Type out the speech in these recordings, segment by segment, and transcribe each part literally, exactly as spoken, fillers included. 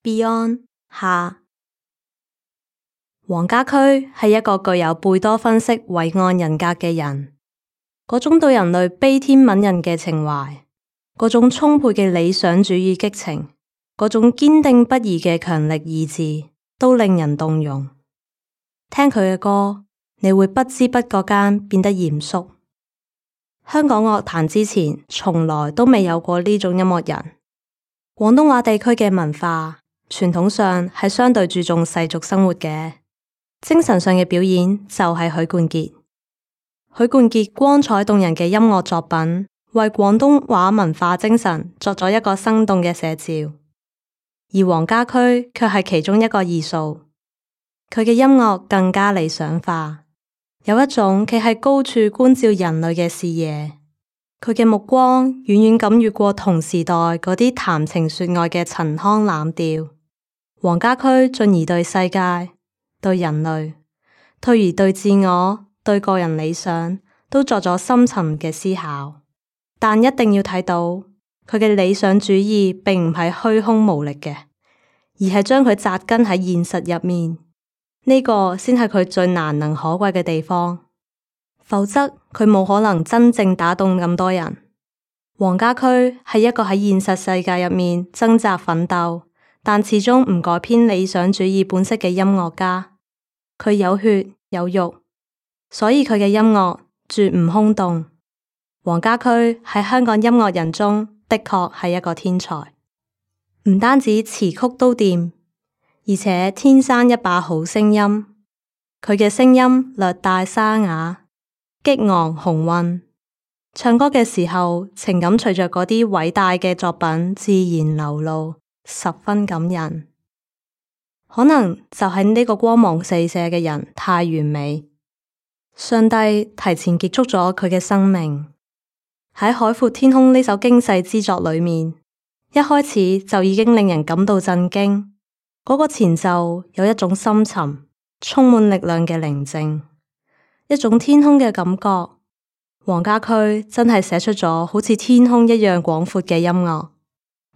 Beyond 下。黃家駒係一個具有貝多芬式偉岸人格嘅人，嗰種對人類悲天憫人嘅情懷，嗰種充沛嘅理想主義激情，嗰種堅定不移嘅強力意志，都令人動容。聽佢嘅歌，你會不知不覺間變得嚴肅。香港樂壇之前從來都未有過呢種音樂人。廣東話地區嘅文化傳統上係相對注重世俗生活嘅，精神上嘅表演就係許冠傑。許冠傑光彩動人嘅音樂作品，為廣東話文化精神作咗一個生動嘅寫照。而黃家駒卻係其中一個異數，佢嘅音樂更加理想化，有一種企喺高處觀照人類嘅視野。佢嘅目光遠遠咁越過同時代嗰啲談情說愛嘅陳腔濫調。黃家駒進而對世界、對人類，退而對自我、對個人理想，都作咗深沉嘅思考。但一定要睇到，佢嘅理想主義並唔係虛空無力嘅，而係將佢紮根喺現實入面。呢個先係佢最難能可貴嘅地方。否則佢冇可能真正打動咁多人。黃家駒係一個喺現實世界入面掙扎奮鬥，但始終唔改偏理想主義本色嘅音樂家。佢有血有肉，所以佢嘅音樂絕唔空洞。黃家駒喺香港音樂人中的確係一個天才，唔單止詞曲都掂，而且天生一把好聲音。佢嘅聲音略帶沙啞，激昂雄渾，唱歌嘅時候情感隨着嗰啲偉大嘅作品自然流露，十分感人。可能就係呢個光芒四射嘅人太完美，上帝提前結束咗佢嘅生命。喺《海闊天空》呢首驚世之作裏面，一開始就已經令人感到震驚。嗰個前奏有一種深沉、充滿力量嘅寧靜，一種天空嘅感覺。黃家駒真係寫出咗好似天空一樣廣闊嘅音樂。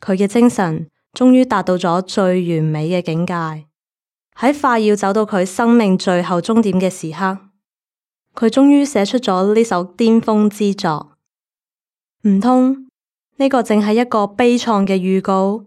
佢嘅精神終於達到咗最完美嘅境界。喺快要走到佢生命最後終點嘅時刻，佢終於寫出咗呢首巔峰之作。唔通呢個淨係一個悲愴嘅預告？